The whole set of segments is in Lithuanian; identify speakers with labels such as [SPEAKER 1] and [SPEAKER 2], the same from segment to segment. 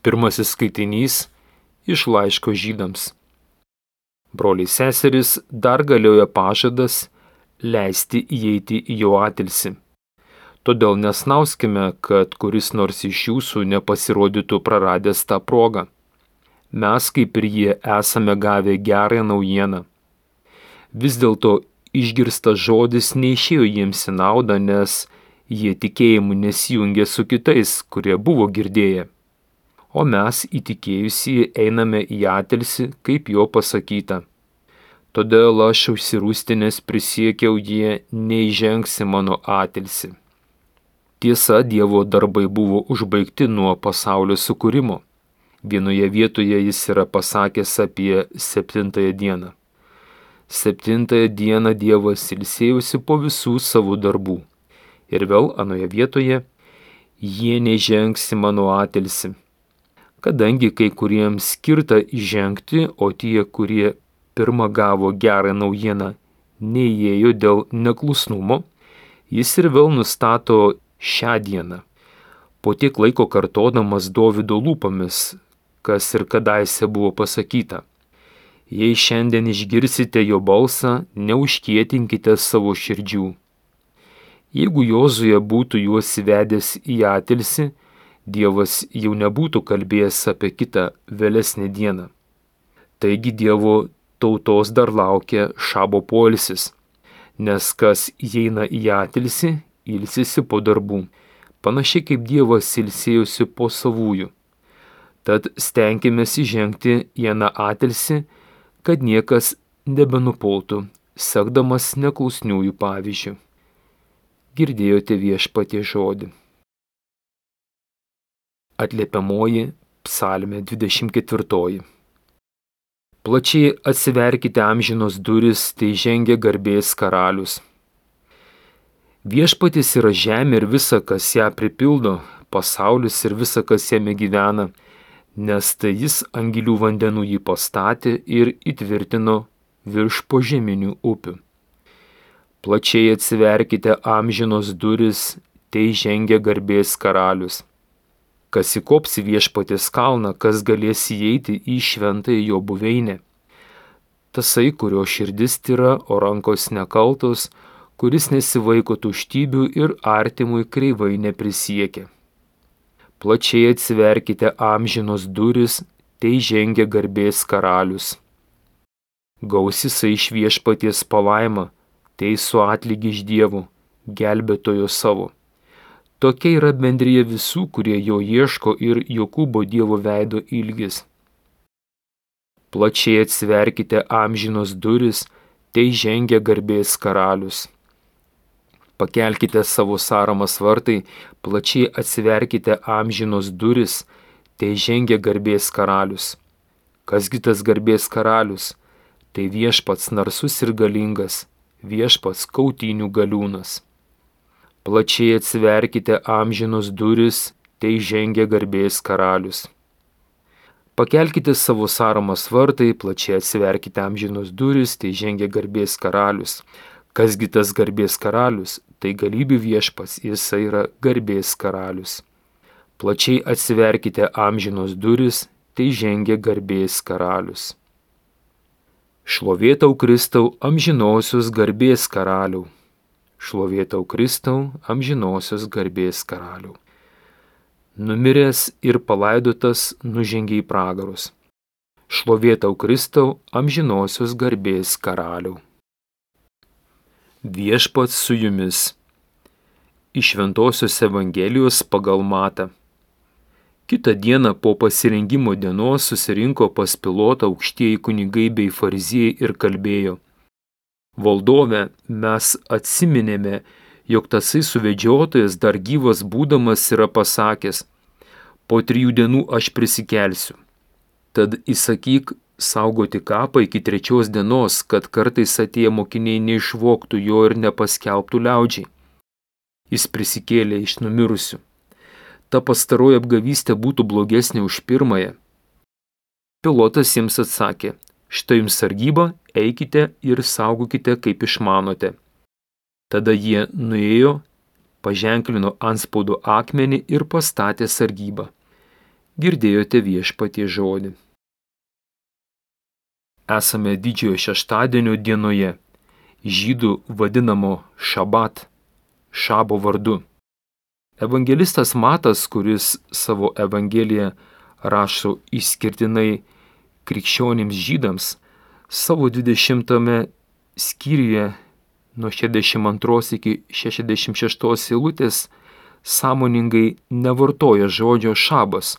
[SPEAKER 1] Pirmasis skaitinys iš laiško Žydams. Broliai seserys, dar galioja pažadas leisti įeiti į jo atilsį. Todėl nesnauskime, kad kuris nors iš jūsų nepasirodytų praradęs tą progą. Mes, kaip ir jie, esame gavę gerąją naujieną. Vis dėlto išgirstas žodis neišėjo jiems į naudą, nes jie tikėjimu nesijungė su kitais, kurie buvo girdėję. O mes įtikėjusieji einame į atilsį, kaip jo pasakyta. Todėl aš užsirūstinęs prisiekiau, jie neįžengs į mano atilsį. Tiesa, Dievo darbai buvo užbaigti nuo pasaulio sukūrimo. Vienoje vietoje jis yra pasakęs apie 7 dieną. 7 dieną Dievas ilsėjosi po visų savo darbų. Ir vėl anoje vietoje, jie neįžengs į mano atilsį. Kadangi kai kuriems skirta įžengti, o tie, kurie pirmą gavo gerą naujieną, neįėjo dėl neklusnumo, jis ir vėl nustato šią dieną. Po tiek laiko kartodamas Dovydo lūpomis, kas ir kadaise buvo pasakyta. Jei šiandien išgirsite jo balsą, neužkietinkite savo širdžių. Jeigu Jozuė būtų juos įvedęs į atilsį, Dievas jau nebūtų kalbėjęs apie kitą vėlesnę dieną. Taigi Dievo tautos dar laukia šabo poilsis, nes kas įeina į atilsį, ilsisi po darbų, panašiai kaip Dievas ilsėjosi po savųjų. Tad stenkimės įžengti į aną atilsį, kad niekas nebenupultų, sekdamas neklusniųjų pavyzdžių. Girdėjote Viešpaties žodį. Atliepiamoji psalmė 24. Plačiai atsiverkite amžinos duris, tai žengia garbės karalius. Viešpatis yra žemė ir visa, kas ją pripildo, pasaulis ir visa, kas jame gyvena, nes tai jis ant gilių vandenų jį pastatė ir įtvirtino virš požeminių upių. Plačiai atsiverkite amžinos duris, tai žengia garbės karalius. Kas įkops į Viešpaties kalną, kas galės įeiti į šventąją jo buveinę. Tasai, kurio širdis tyra, o rankos nekaltos, kuris nesivaiko tuštybių ir artimui kreivai neprisiekia. Plačiai atsiverkite amžinos duris, tai žengia garbės karalius. Gaus jisai iš Viešpaties palaimą, tai su atlygi iš Dievo, gelbėtojo savo. Tokia yra bendrija visų, kurie jo ieško ir Jokūbo Dievo veido ilgis. Plačiai atsiverkite amžinos duris, tai žengia garbės karalius. Pakelkite savo sąramas vartai, plačiai atsiverkite amžinos duris, tai žengia garbės karalius. Kasgi tas garbės karalius? Tai Viešpats narsus ir galingas, Viešpats kautynių galiūnas. Plačiai atsiverkite amžinos duris, tai žengia garbės karalius. Pakelkite savo sąramas vartai, plačiai atsiverkite amžinos duris, tai žengia garbės karalius. Kasgi tas garbės karalius? Tai galybių Viešpats, jisai yra garbės karalius. Plačiai atsiverkite amžinos duris, tai žengia garbės karalius. Šlovėtau Kristau, amžinosios garbės karaliau. Šlovėtau Kristau, amžinosios garbės karaliau. Numiręs ir palaidotas nužengė į pragarus. Šlovėtau Kristau, amžinosios garbės karaliau. Viešpats su jumis. Iš Šventosios Evangelijos pagal Matą. Kitą dieną po pasirengimo dienos susirinko pas Pilotą aukštieji kunigai bei fariziejai ir kalbėjo. Valdove, mes atsiminėme, jog tasai suvedžiotojas dar gyvas būdamas yra pasakęs, po 3 dienų aš prisikelsiu. Tad įsakyk saugoti kapą iki 3 dienos, kad kartais atėję mokiniai neišvogtų jo ir nepaskelbtų liaudžiai. Jis prisikėlė iš numirusių. Ta pastaroji apgavystė būtų blogesnė už pirmąją. Pilotas jiems atsakė, štai jums sargyba, eikite ir saugokite, kaip išmanote. Tada jie nuėjo, paženklino antspaudo akmenį ir pastatė sargybą. girdėjote Viešpaties žodį. Esame didžiojo šeštadienio dienoje, žydų vadinamo šabat, šabo vardu. Evangelistas Matas, kuris savo evangeliją rašo išskirtinai krikščionims žydams, savo 20 skyriuje nuo 62 iki 66 eilutės sąmoningai nevartoja žodžio šabas,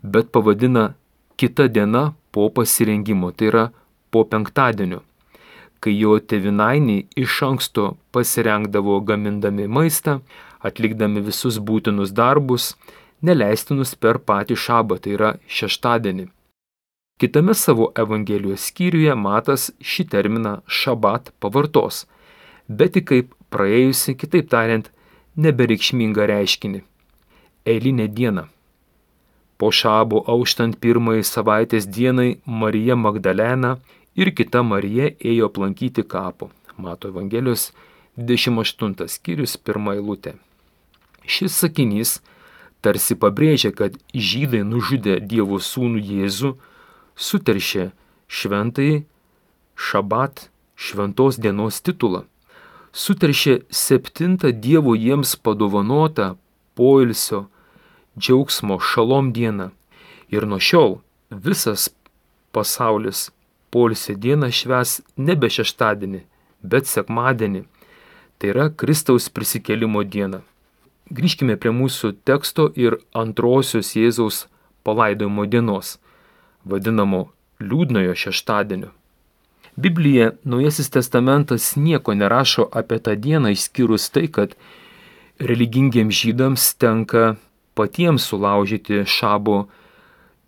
[SPEAKER 1] bet pavadina kita diena po pasirengimo, tai yra po penktadienio, kai jo tėvynainiai iš anksto pasirengdavo gamindami maistą, atlikdami visus būtinus darbus, neleistinus per patį šabą, tai yra šeštadienį. Kitame savo evangelijos skyriuje Matas šį terminą šabat pavartos, bet tik kaip praėjusi, kitaip tariant, nebereikšmingą reiškinį. Eilinė diena. Po šabo auštant pirmai savaitės dienai Marija Magdalena ir kita Marija ėjo aplankyti kapo. Mato Evangelijos 28 skyrius 1 eilutė. Šis sakinys tarsi pabrėžia, kad žydai nužudę Dievo sūnų Jėzų suteršė šventąjį šabat, šventos dienos titulą. Suteršė 7 Dievo jiems padovanotą poilsio, džiaugsmo, šalom dieną. Ir nuo šiol visas pasaulis poilsio dieną švęs nebe šeštadienį, bet sekmadienį. Tai yra Kristaus prisikėlimo diena. Grįžkime prie mūsų teksto ir antrosios Jėzaus palaidojimo dienos, vadinamo liūdnojo šeštadienio. Biblija, Naujasis testamentas nieko nerašo apie tą dieną išskyrus tai, kad religingiems žydams tenka patiems sulaužyti šabo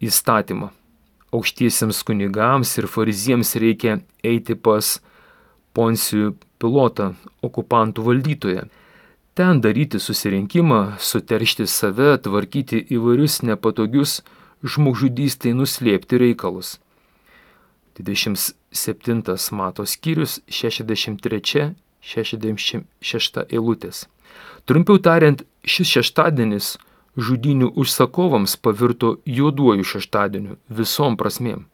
[SPEAKER 1] įstatymą. Aukštiesiems kunigams ir fariziems reikia eiti pas Poncijų Pilotą, okupantų valdytoją. Ten daryti susirinkimą, suteršti save, tvarkyti įvairius nepatogius žmogžudystei nuslėpti reikalus. 27 Mato skyrius 63-66 eilutės. Trumpiau tariant, šis šeštadienis žudynių užsakovams pavirto juoduoju šeštadieniu visom prasmėm.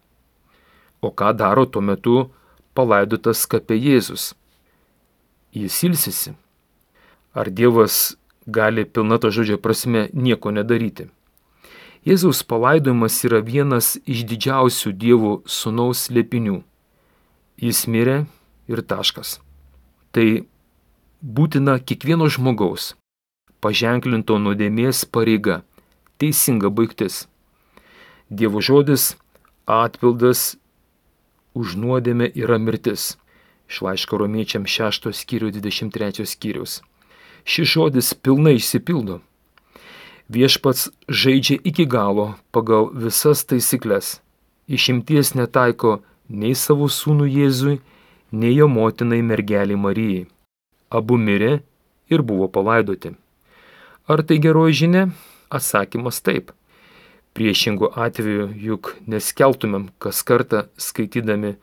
[SPEAKER 1] O ką daro tuo metu palaidotas kape Jėzus? Jis ilsisi. Ar Dievas gali pilna to žodžio prasme nieko nedaryti? Jėzaus palaidojimas yra vienas iš didžiausių Dievo sūnaus slėpinių. Jis mirė ir taškas. Tai būtina kiekvieno žmogaus, paženklinto nuodėmės pareiga, teisinga baigtis. Dievo žodis, atpildas už nuodėmę yra mirtis. Iš laiško Romiečiams 6 skyrių 23 skyriaus. Šis žodis pilnai išsipildo. Viešpats žaidžia iki galo pagal visas taisyklės. Išimties netaiko nei savo sūnų Jėzui, nei jo motinai mergelei Marijai. Abu mirė ir buvo palaidoti. Ar tai geroji žinia? Atsakymas taip. Priešingų atveju juk neskeltumėm kas kartą skaitydami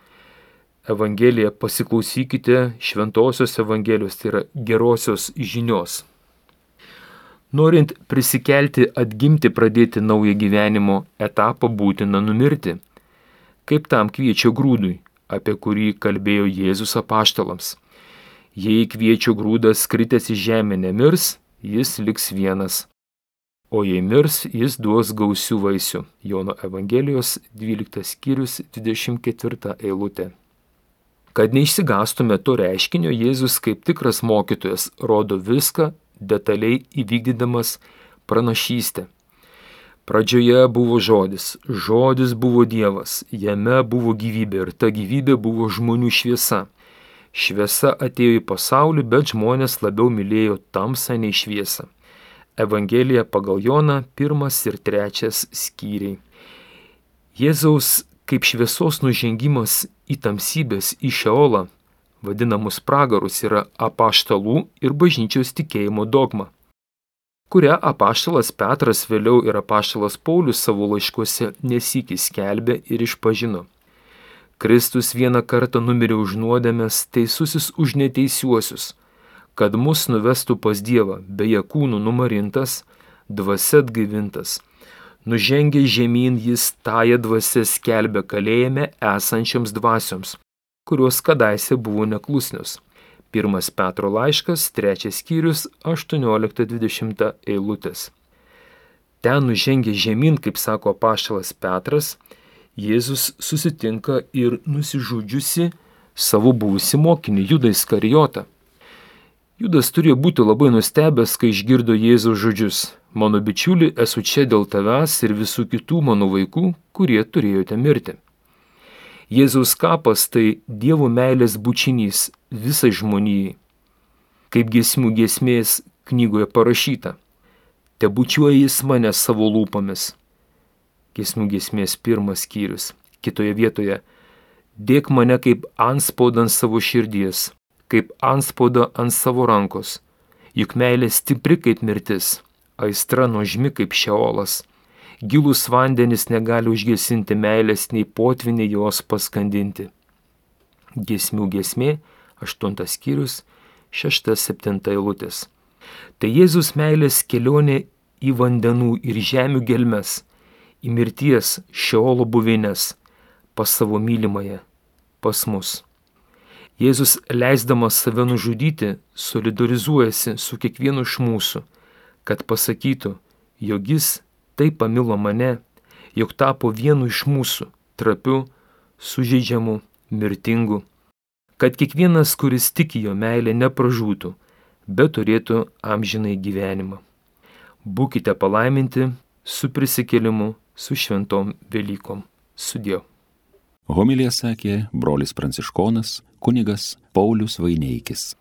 [SPEAKER 1] Evangeliją, pasiklausykite šventosios Evangelijos, tai yra gerosios žinios. Norint prisikelti, atgimti, pradėti naują gyvenimo etapą, būtina numirti. Kaip tam kviečio grūdui, apie kurį kalbėjo Jėzus apaštalams. Jei kviečio grūdas kritęs į žemę nemirs, jis liks vienas. O jei mirs, jis duos gausių vaisių. Jono Evangelijos 12 skyrius 24 eilutė. Kad neišsigastume to reiškinio, Jėzus kaip tikras mokytojas rodo viską, detaliai įvykdydamas pranašystę. Pradžioje buvo žodis, žodis buvo Dievas, jame buvo gyvybė ir ta gyvybė buvo žmonių šviesa. Šviesa atėjo į pasaulį, bet žmonės labiau mylėjo tamsą nei šviesą. Evangelija pagal Joną 1 ir 3 skyriai. Jėzaus kaip šviesos nužengimas į tamsybės, į Šeolą, vadinamus pragarus, yra apaštalų ir bažnyčios tikėjimo dogma, kurią apaštalas Petras vėliau ir apaštalas Paulius savo laiškuose nesykį skelbė ir išpažino. Kristus vieną kartą numirė už nuodėmes, teisusis už neteisiuosius, kad mus nuvestų pas Dievą, beje kūnų numarintas, dvasia atgaivintas. Nužengęs žemyn jis tąją dvasią skelbė kalėjime esančiams dvasioms, kurios kadaise buvo neklusnios. 1 Petro laiškas, 3 skyrius, 18-20 eilutės. Ten nužengęs žemyn, kaip sako apaštalas Petras, Jėzus susitinka ir nusižudžiusi savo buvusį mokinį Judą Iskarijotą. Judas turėjo būti labai nustebęs, kai išgirdo Jėzaus žodžius: mano bičiuli, esu čia dėl tavęs ir visų kitų mano vaikų, kurie turėjote mirti. Jėzaus kapas tai Dievo meilės bučinys visai žmonijai. Kaip giesmių giesmės knygoje parašyta: te bučiuoja jis mane savo lūpomis. Giesmių giesmės 1 skyrius. Kitoje vietoje: dėk mane kaip antspaudą ant savo širdies, kaip antspaudą ant savo rankos. Juk meilė stipri kaip mirtis, aistra nuožmi kaip šeolas. Gilūs vandenys negali užgesinti meilės, nei potviniai jos paskandinti. Giesmių giesmė 8 skyrius 6-7 eilutės. Tai Jėzus meilės kelionė į vandenų ir žemių gelmes, į mirties šeolo buvines, pas savo mylimąją, pas mus. Jėzus, leisdamas save nužudyti, solidarizuojasi su kiekvienu iš mūsų, kad pasakytų, jog jis taip pamilo mane, jog tapo vienu iš mūsų, trapiu, sužeidžiamu, mirtingu, kad kiekvienas, kuris tiki jo meilę, nepražūtų, bet turėtų amžinai gyvenimą. Būkite palaiminti su prisikėlimu, su šventom Velykom. Sudie.
[SPEAKER 2] Homiliją sakė brolis pranciškonas kunigas Paulius Vaineikis.